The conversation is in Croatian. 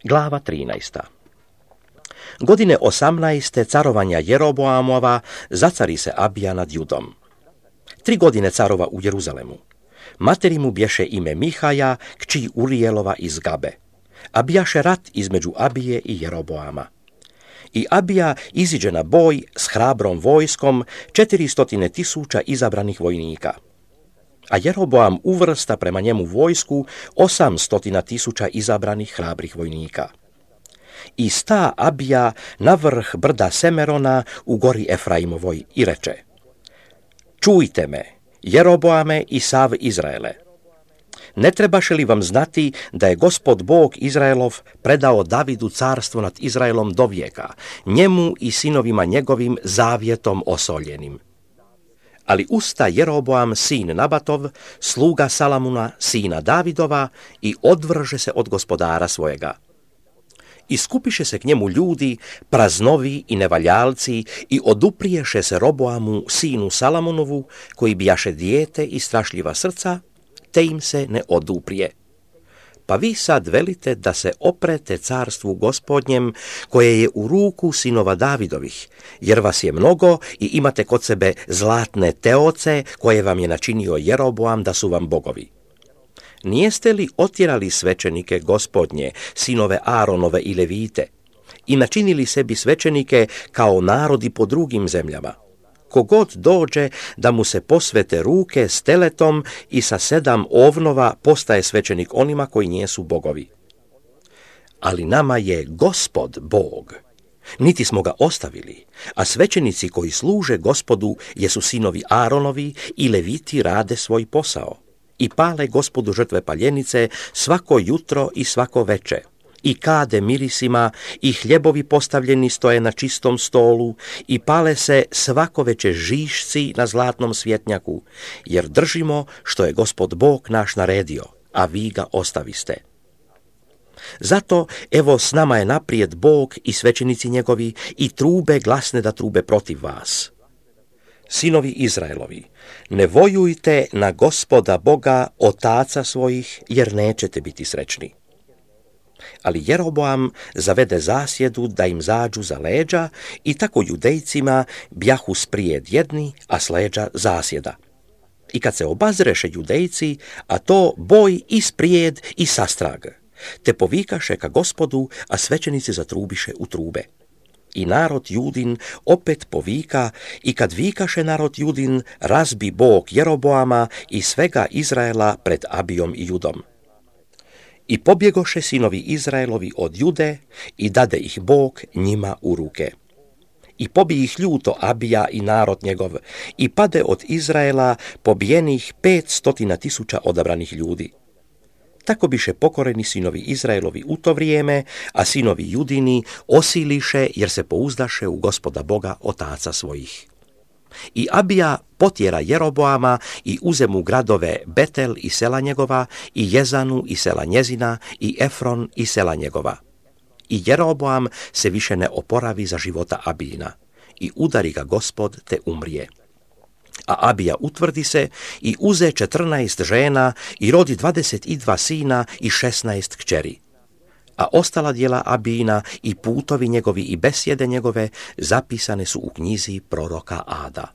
Glava 13. Godine 18. carovanja Jeroboamova zacari se Abija nad Judom. 3 godine carova u Jeruzalemu. Materi mu bješe ime Mihaja, kći Urijelova iz Gabe. A bijaše rat između Abije i Jeroboama. I Abija iziđe na boj s hrabrom vojskom 400.000 izabranih vojnika. A Jeroboam uvrsta prema njemu vojsku 800.000 izabranih hrabrih vojnika. I sta Abija na vrh brda Semerona u gori Efraimovoj i reče: Čujte me, Jeroboame i sav Izraele. Ne trebaše li vam znati da je Gospod Bog Izraelov predao Davidu carstvo nad Izraelom do vijeka, njemu i sinovima njegovim zavjetom osoljenim? Ali usta Jeroboam sin Nabatov, sluga Salamuna sina Davidova, i odvrže se od gospodara svojega. I skupiše se k njemu ljudi, praznovi i nevaljalci, i odupriješe se Roboamu sinu Salamunovu, koji bijaše dijete i strašljiva srca, te im se ne oduprije. Pa vi sad velite da se oprete carstvu Gospodnjem, koje je u ruku sinova Davidovih, jer vas je mnogo i imate kod sebe zlatne teoce, koje vam je načinio Jeroboam da su vam bogovi. Nijeste li otjerali svećenike Gospodnje, sinove Aaronove i Levite, i načinili sebi svećenike kao narodi po drugim zemljama? Kogod dođe da mu se posvete ruke s teletom i sa 7 ovnova postaje svećenik onima koji nijesu bogovi. Ali nama je Gospod Bog. Niti smo ga ostavili, a svećenici koji služe Gospodu jesu sinovi Aaronovi i Leviti rade svoj posao. I pale Gospodu žrtve paljenice svako jutro i svako veče. I kade mirisima, i hljebovi postavljeni stoje na čistom stolu, i pale se svako veče žišci na zlatnom svjetnjaku, jer držimo što je Gospod Bog naš naredio, a vi ga ostaviste. Zato, evo, s nama je naprijed Bog i svećenici njegovi, i trube glasne da trube protiv vas. Sinovi Izraelovi, ne vojujte na Gospoda Boga, otaca svojih, jer nećete biti srećni. Ali Jeroboam zavede zasjedu da im zađu za leđa, i tako Judejcima bjahu sprijed jedni, a s leđa zasjeda. I kad se obazreše Judejci, a to boj i sprijed i sastrag, te povikaše ka Gospodu, a svećenici zatrubiše u trube. I narod Judin opet povika, i kad vikaše narod Judin, razbi Bog Jeroboama i svega Izraela pred Abijom i Judom. I pobjegoše sinovi Izraelovi od Jude, i dade ih Bog njima u ruke. I pobije ih ljuto Abija i narod njegov, i pade od Izraela pobijenih 500.000 odabranih ljudi. Tako biše pokoreni sinovi Izraelovi u to vrijeme, a sinovi Judini osiliše jer se pouzdaše u Gospoda Boga otaca svojih. I Abija potjera Jeroboama i uze mu gradove Betel i sela njegova, i Jezanu i sela njezina, i Efron i sela njegova. I Jeroboam se više ne oporavi za života Abijina, i udari ga Gospod te umrije. A Abija utvrdi se i uze 14 žena i rodi 22 sina i 16 kćeri. A ostala djela Abijina i putovi njegovi i besjede njegove zapisane su u knjizi proroka Ada.